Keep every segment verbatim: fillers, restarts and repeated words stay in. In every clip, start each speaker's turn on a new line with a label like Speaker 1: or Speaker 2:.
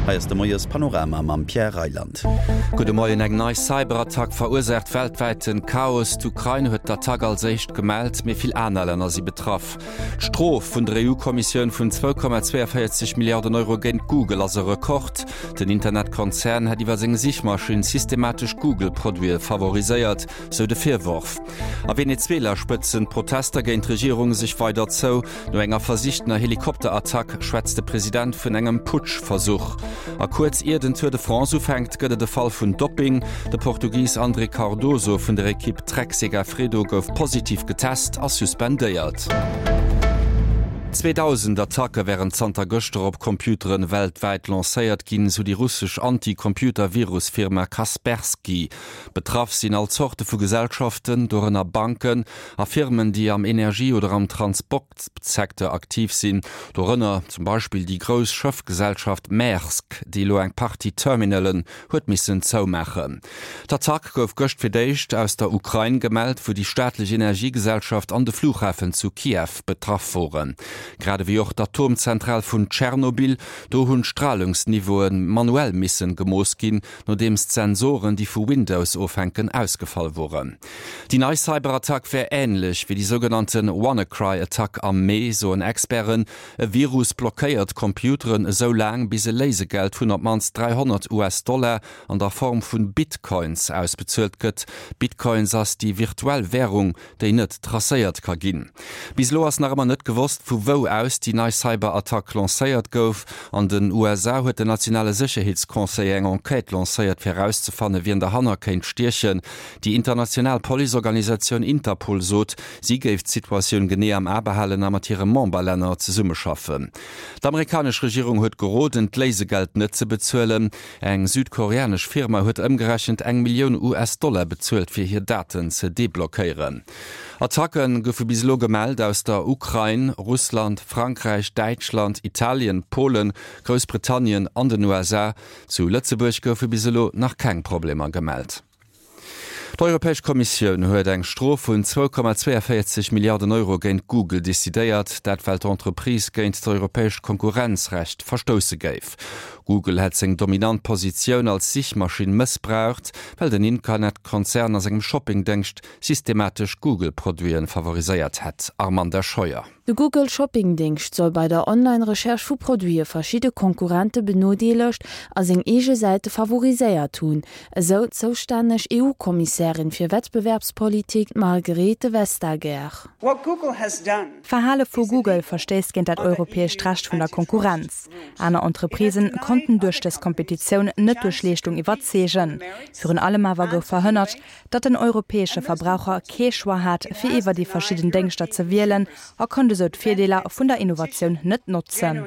Speaker 1: Hei ass de Moiespanorama mam Pierre Reyland.
Speaker 2: Gudde Moien, Eng nei Cyberattack verursaacht weltwäiten Chaos. D'Ukrain huet d'Attack als éischt gemellt, mee vill aner Länner si betraff. D'Strof vun der EU-Kommissioun vun zwou Komma zweiundvéierzeg Milliarden Euro géint Google ass e Rekord. Den Internetkonzern hätt iwwer seng Sichmaschinn systematesch Google-Produite favoriséiert, sou de Virworf. A Venezuela spëtzen d'Protester géint d'Regierung sech weider zou. No enger versichtener Helikopterattack schwätzt de President vun engem Putschversuch. A kuerz ier den Tour de France ufänkt, gëtt et e Fall vun Dopping. De Portugis André Cardoso vun der Ekipp Trek-Segafredo gouf positiv getest a suspendéiert. Zweedausend Attacke wären zanter gëschter op Computeren weltwäit lancéiert ginn, sou déi russesch Anti-Computer-Virus-Firma Kaspersky. Betraff sinn all Zorte vu Gesellschaften, dorënner Banken a Firmen, déi am Energie oder am Transportsecteur aktiv sinn, dorënner zum Beispill déi grouss Schëffgesellschaft Maersk, déi elo eng Partie Terminalen huet missen zoumaachen. D'Attack gouf gëscht fir d'éischt aus der Ukrain gemellt, wou déi staatlech Energiegesellschaft an de Flughafen zu Kiew betraff woren. Grad ewéi och d'Atomzentral vun Tschernobyl, do hunn d'Stralungsniveaue manuell missen gemooss ginn, nodeems d'Sensoren, déi vu Windows ofhänken, ausgefall woren. Déi nei Cyberattack wär änlech wéi déi sougenannte WannaCry-Attack am Mee, soen Experten. E Virus blockéiert d'Computeren esou laang, bis e Léisegeld vun op d'mannst dräihonnert US-Dollar an der Form vu Bitcoins ausbezuelt gëtt. Bitcoins ass déi virtuell Wärung, déi net tracéiert ka ginn. Bis elo ass nach ëmmer net gewosst, vu wou aus déi nei Cyberattack lancéiert gouf. An den U S A huet den nationale Sécherheetsconseiller eng Enquête lancéiert, fir erauszefannen, wien derhanner kéint stiechen. Déi international Policeorganisatioun Interpol sot, si géif d'Situatioun genee am A behalen a mat hire Memberlänner zesummeschaffen. D'amerikanesch Regierung huet geroden, d'Léisegeld net ze bezuelen. Eng südkoreanesch Firma huet ëmgerechent eng Millioun U S-Dollar bezuelt, fir hir Daten ze deblockéieren. Attacke goufe bis elo gemellt aus der Ukrain, Russland, Frankräich, Däitschland, Italien, Polen, Groussbritannien an den U S A. Zu Lëtzebuerg goufe bis elo nach keng Problemer gemellt. D'Europäesch Kommissioun huet eng Strof vun zwou Komma zweiundvéierzeg Milliarden Euro géint Google decidéiert, dat well d'Entreprise géint d'europäescht Konkurrenzrecht verstousse géif. Google hätt seng dominant Positioun als Sichmaschinn mëssbraucht, well den Internetkonzern a sengem Shoppingdéngscht systematesch Google-Produite favoriséiert hätt. Armanda Scheuer.
Speaker 3: De Google Shopping-Déngscht soll bei der Online-Recherche vu Produite verschidde Konkurrente benodeelegt a seng eege Säite favoriséiert hunn, esou d'zoustänneg E U-Kommissärin fir Wettbewerbspolitik Margrethe Vestager.
Speaker 4: D'Verhale vu Google verstéisst géint dat europäescht Recht vun der Konkurrenz. Aner Entreprisen konnten duerch dës Kompetitioun net duerch Leeschtung iwwerzeegen. Virun allem awer gouf verhënnert, datt den europäesche Verbraucher kee Choix hat, fir iwwer déi verschidden Déngschter ze wielen a konnt esou d'Virdeeler vun der Innovatioun net notzen.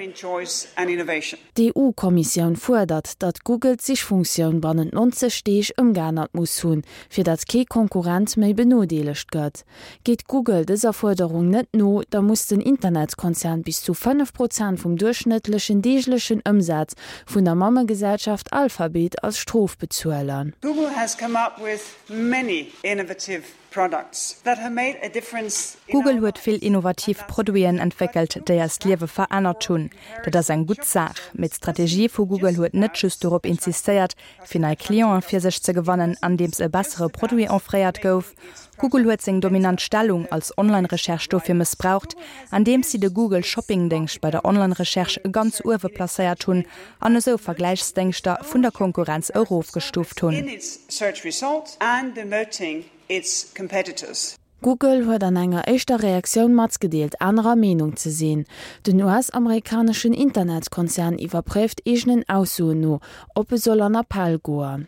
Speaker 3: D'E U-Kommissioun fuerdert, datt Google d'Sichfunktioun bannent neunzeg Deeg ëmgeännert muss hunn, fir datt kee Konkurrent méi benodeelegt gëtt. Geet Google dëser Fuerderung net no, da muss den Internetkonzern bis zu fënnef Prozent vum duerchschnëttlechen deeglechen Ëmsaz vun der Mammegesellschaft Alphabet als Strof bezuelen.
Speaker 5: Google has come up with many innovative products that have made a difference.
Speaker 4: Google huet vill innovativ Produiten entwéckelt, déi eist Liewe verännert hunn. Dat ass eng gutt Saach. Mee d'Strategie vu Google huet net just dorop insistéiert, fir nei Clienten fir sech ze gewannen, andeems e bessere Produit offréiert gouf. Google huet seng dominant Stellung als Online-Recherche dofir mëssbraucht, andeems si de Google Shopping-Déngscht bei der Online-Recherche ganz uewe placéiert hunn an esou Vergläichsdéngschter vun der Konkurrenz erofgestuuft hunn.
Speaker 5: In its search results and demoting its competitors.
Speaker 3: Google huet an enger éischter Reaktioun matgedeelt, anerer Meenung ze sinn. Den U S-amerikaneschen Internetkonzern iwwerpréift eegenen Aussoen no, ob e soll an Appell goen.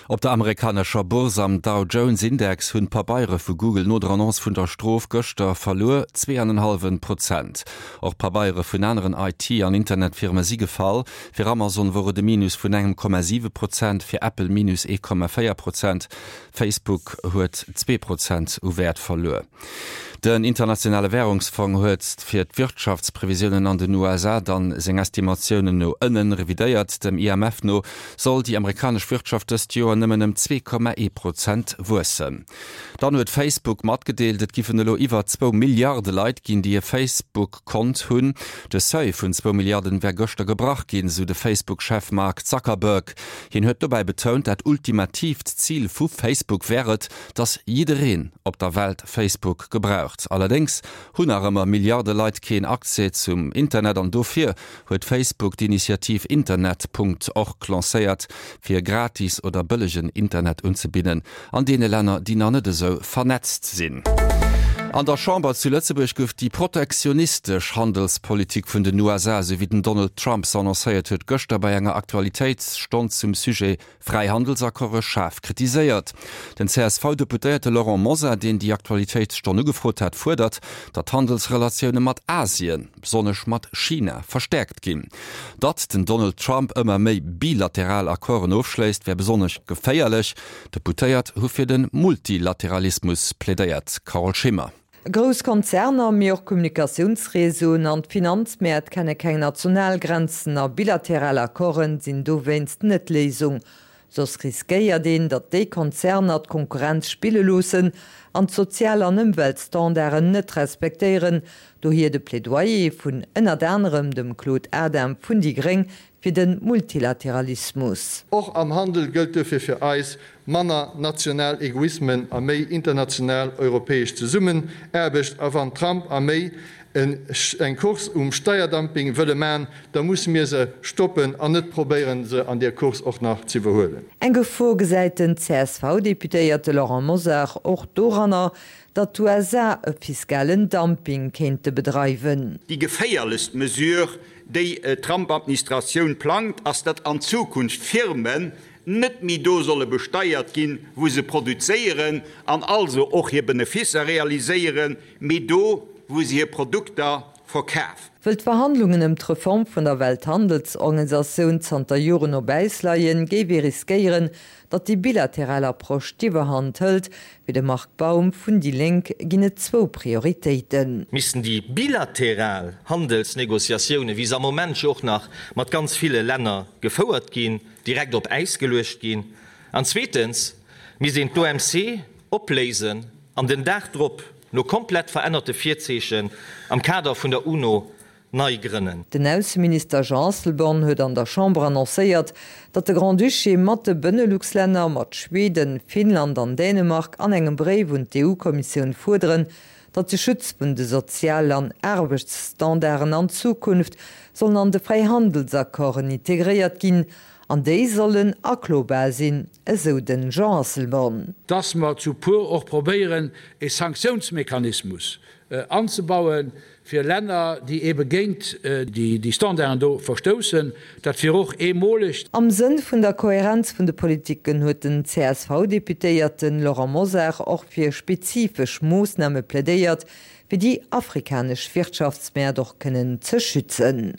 Speaker 2: Op der amerikanescher Bourse am Dow Jones Index hunn d'Pabeiere vu Google no der Annonce vun der Strof gëschter verluer, zwee an en hallwe Prozent. Och Pabeiere vun aneren I T an Internetfirme si gefall. Fir Amazon wor et e Minus vun engem Komma siwe Prozent, fir Apple Minus ee Komma véier Prozent. Facebook huet zwee Prozent u Wäert verluer. Den internationale Wärungsfong huet fir d'Wirtschaftsprevisiounen an den U S A dann seng Estimatiounen no ënnen revidéiert. Dem I M F no soll déi amerikanesch Wirtschaft dëst dëst Joer nëmmen ëm zwee Komma ee Prozent wuessen. Dann huet Facebook matgedeelt, et giffen elo iwwer zwou Milliarde Leit ginn, déi e Facebook-Kont hunn. De Seuil vun zwou Milliarden wär gëschter gebrach ginn, sou de Facebook-Chef Mark Zuckerberg. Hien huet dobäi betount, dat ultimatiivt Zil vu Facebook wär et, datt jiddereen op der Welt Facebook gebraucht. Allerdéngs hunn nach ëmmer Milliarde Leit keen Accès zum Internet an dofir huet Facebook d'Initiativ Internet. Org lancéiert, fir gratis oder bëllegen Internet unzebidden an deene Länner, déi nach net esou vernetzt sinn. An der Chamber zu Lëtzebuerg gouf déi protektionistesch Handelspolitik vun den U S A, esou wéi den Donald Trump se annoncéiert huet, gëschter bei enger Aktualitéitsstonn zum Sujet Fräihandelsaccorde schaarf kritiséiert. Den C S V-Deputéierte Laurent Mosar, deen déi Aktualitéitsstonn ugefrot hat, fuerdert, datt d'Handelsrelatioune mat Asien, besonnesch mat China, verstäerkt ginn. Datt den Donald Trump ëmmer méi bilateral Accorden ofschléisst, wär besonnesch geféierlech. Deputéiert hu fir de Multilateralismus plädéiert. Carole Schimmer.
Speaker 6: Grouss Konzerner, mee och Kommunikatiounsreseauen an d'Finanzmäert kenne keng Nationalgrenzen a bilateral Accorden sinn dowéinst net d'Léisung. Soss riskéiert een, datt déi Konzerner d'Konkurrenz spille loossen an d'Sozial- an Ëmweltstandarden net respektéieren. Dohier de Plädoyer vun ënnert anerem dem Claude Adam vun déi Gréng fir de Multilateralismus.
Speaker 7: Och am Handel gëllt dofir fir eis manner national Egoismen a méi international europäesch Zesummenaarbecht. A wann Trump a méi eng Course um Steierdumping wëlle man, da musse mir se stoppen an net probéieren, se an der Course och nach ze iwwerhuelen.
Speaker 6: Eng Gefor gesäit den C S V-Deputéierte Laurent Mosar och doranner, datt d'U S A e fiskalen Dumping kéinte bedreiwen.
Speaker 8: Déi geféierlechst Mesure, déi Trump-Administratioun plangt, ass, datt an Zukunft Firmen net méi do solle besteiert ginn, wou se produzéieren an also och hir Beneficer realiséieren, mee do, wou se hir Produkter verkafen.
Speaker 6: Wëll d'Verhandlungen ëm d'Reform vun der Welthandelsorganisatioun zanter Joren op Äis leien, géif ee riskéieren, datt déi bilateral Approche d'Iwwerhand hëlt. Wéi de Marc Baum vun déi Lénk ginn et zwou Prioritéiten.
Speaker 9: Missten déi bilateral Handelsnegociatioune, wéi se am Moment jo och nach mat ganz ville Länner gefouert ginn, direkt op Äis geluecht ginn. An zweetens misst een d'O M C opléisen an den Dag drop no komplett verännerte Virzeechen am Kader vun der UNO nei grënnen.
Speaker 6: Den Ausseminister Jean Asselborn huet an der Chamber annoncéiert, datt de Grand-Duché mat de Benelux-Länner, mat Schweden, Finnland an Dänemark an engem Bréif un d'E U-Kommissioun fuerderen, datt de Schutz vun de Sozial- an Aarbechtsstandarden an Zukunft sollen an de Fräihandelsaccorden integréiert ginn, an déi sollen aklobal sinn, esou den Jean Asselborn.
Speaker 10: Dass mer zu pur och probéieren, e Sanktionsmechanismus anzubauen fir Länner, déi ebe géint déi, déi Standarden do verstoussen, dat fir och eemoleg.
Speaker 6: Am Sënn vun der Kohärenz vun de Politiken huet den C S V-Deputéierten Laurent Mosar och fir spezifesch Moossname plädéiert, fir déi afrikanesch Wirtschaftsmäert och kënnen ze schützen.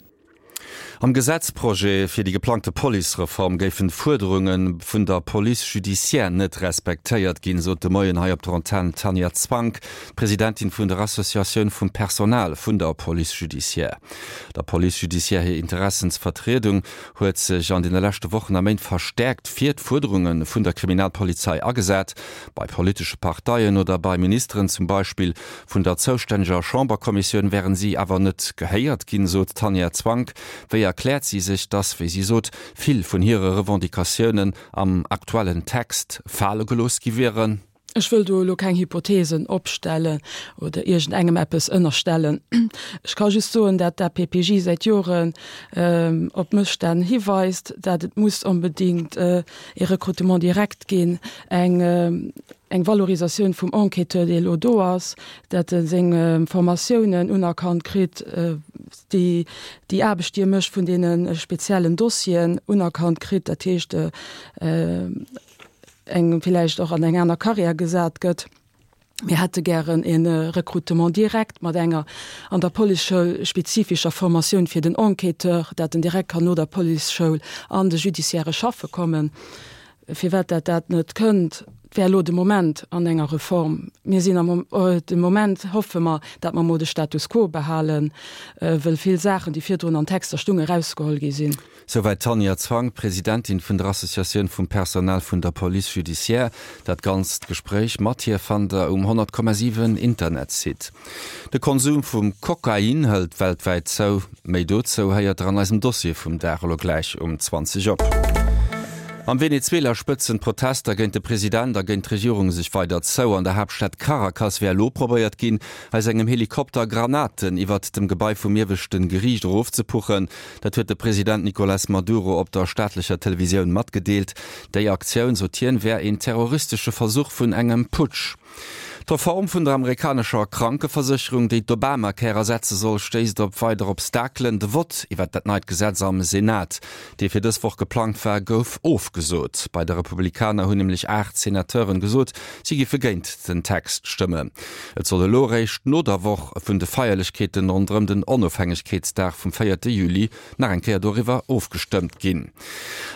Speaker 2: Am Gesetzprojet fir déi geplangte Policereform géifen d'Fuerderunge vun der Police judiciaire net respektéiert ginn, sot de Moien hei op der Antenn Tanja Zwank, Presidentin vun der Associatioun vum Personal vun der Police judiciaire. Der Police judiciaire hir Interessensvertriedung huet sech an den leschte Wochen a Méint verstärkt fir d'Fuerderunge vun der Kriminalpolizei agesat, bei politesche Parteien oder bei Ministeren zum Beispill vun der zouständiger Chamberkommissioun wären sie awer net gehéiert ginn, sot Tanja Zwank. Wéi erkläert sie sich, dass, wéi sie sot, vill vun hire Revendicatiounen am aktuellen Text fale gelooss gi wieren?
Speaker 11: Ech wëll do elo keng Hypothesen opstellen oder iergendengem eppes ënnerstellen. Ech ka just soen, dat d'A P P J seit Joren, ähm, op Mësstänn hiweist, dat et muss unbedingt, äh, e Recrutement direkt ginn, eng, ähm, eng Valorisatioun vum Enquêteur, dee lo do ass, dat e seng, ähm, Formatiounen unerkannt kritt, äh, déi, déi Aarbecht, déi e mécht vun deenen speziellen Dossieren unerkannt kritt, dat heescht, äh, äh, eng vielleicht och an eng aner Karriär gesat gëtt. Mir hätte gären en Recrutement direkt mat enger an der Policeschoul spezifischer Formatioun fir den Enquêteur, dat den direkt kann no der Policeschoul an de judiciaire Schaffe kommen. Firwat dat dat net kënnt, wär elo de Moment an enger Reform. Mir sinn am de Moment hoffe mer, datt mer mol de Status quo behalen, wëll vill Saachen, déi virdrun an Texter stungen, erausgeholl gi sinn.
Speaker 2: Souwäit d'Tanja Zwang, Presidentin vun der Associatioun vum Personal vun der Police judiciaire. Dat ganzt Gespréich mat hir fannt der um honnert Komma siwen Internetsite. De Konsum vum Kokain hëlt weltwäit zou. Méi dozou héiert der an eisem Dossier vum Dag elo gläich um zwanzeg op. Am Venezuela spëtzen d'Protester géint de President a géint d'Regierung sech weider zou. An der Haaptstad Caracas wär elo probéiert ginn, aus engem Helikopter Granaten iwwert dem Gebai vum ieweschte Geriicht erofzepuchen. Dat huet de President Nicolas Maduro op der staatlecher Televisioun matgedeelt. Déi Aktioun, sot hien, wär een terroristesche Versuch vun engem Putsch. D'Reform vun der amerikanescher Krankeversécherung, déi d'Obamacare ersetze soll, stéisst op weider Obstakelen. De Vott iwwer dat neit Gesetz am Senat, dee fir dës Woch geplangt war, gouf ofgesot. Bei de Republikaner hunn nämlech aacht Senateuren gesot, si giffe géint den Text stëmmen. Et soll elo eréischt no der Woch vun de Feierlechkeeten ronderëm den Onofhängegkeetsdag vum véierte Juli nach eng Kéier doriwwer ofgestëmmt ginn.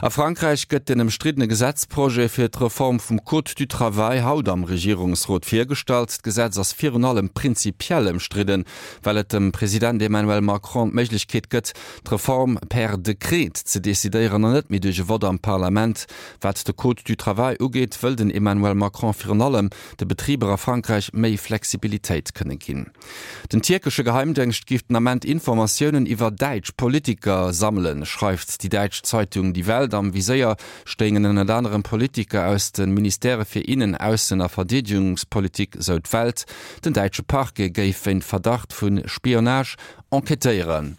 Speaker 2: A Frankräich gëtt den ëmstriddene Gesetzprojet fir d'Reform vum Code du travail haut am Regierungsrot virgestallt. D'Gesetz ass virun allem prinzipiell ëmstridden, well et dem President Emmanuel Macron d'Méiglechkeet gëtt, d'Reform per Dekret ze decidéieren an net méi duerch e Vott am Parlament. Wat de Code du travail ugeet, wëll den Emmanuel Macron virun allem de Betriber a Frankräich méi Flexibilitéit kënne ginn. Den tierkesche Geheimdéngscht géif den Ament Informatiounen iwwer däitsch Politiker sammelen, schreift déi däitsch Zeitung Die Welt. Am Viséier stéingen ënnert anerem Politiker aus de Ministèrë fir Innen-, Aussen a Verdeedegungspolitik, sou d'Welt. Den däitsche Parquet géif wéint Verdacht vu Spionage enquêtéieren.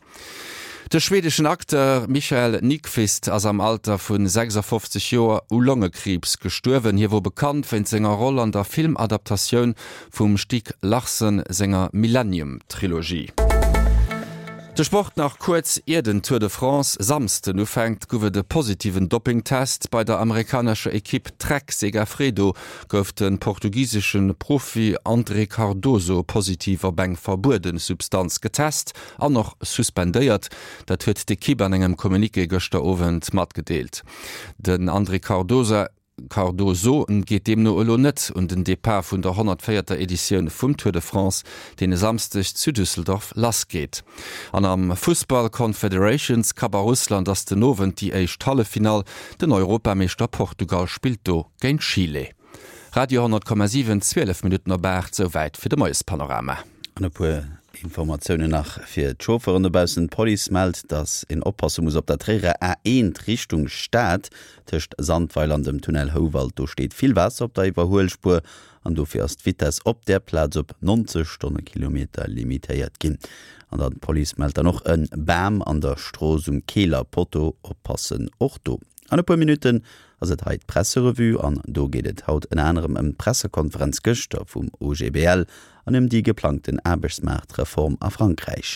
Speaker 2: De schwedeschen Acteur Michael Nyqvist ass am Alter vu sechsafofzeg Joer u Longekriibs gestuerwen. Hie wor bekannt wéinst senger Roll an der Filmadaptatioun vum Stieg Larsson senger Millennium-Trilogie. De Sport nach kuerz, Ier den Tour de France Samsden ufänkt, gouf et e positiven Doppingtest. Bei der amerikanescher Ekipp Trek Segafredo gouf de portugisesche Profi André Cardoso positiv op eng verbuede Substanz getest an och suspendéiert. Dat huet d'Ekipp an engem Communiqué gëschter Owend matgedeelt. Den André Cardosa Cardoso geet deemno elo net un den Depart vun der honnertvéierter Editioun vum Tour de France, deen e Samsdeg zu Düsseldorf lassgeet. An am Fussball Confederations Cup a Russland ass den Owend déi éischt Halleffinall, den Europameeschter Portugal spillt do géint Chile. Radio honnert Komma siwen, zwielef Minutten op aacht, souwäit fir de Moiespanorama.
Speaker 1: An e puer Informatiounen nach fir d'Chauffeuren dobaussen, D'Police mellt, dass een oppasse muss op der Tréierer A eent Richtung Stad, tëscht Sandweiler an dem Tunnel Houwald. Do steet vill Waasser op der Iwwerhuelspuer an dofir ass d'Vitess op där Plaz op neunzeg Stonnekilometer limitéiert ginn. An dann d'Police mellt dann och e Bam an der Strooss um Keeler Potto, oppassen och do. An e puer Minutten ass et hei d'Presserevue an do geet et haut ënner anerem ëm d'Pressekonferenz gëschter vum O G B L an ëm déi geplangten Aarbechtsmaartreform a Frankräich.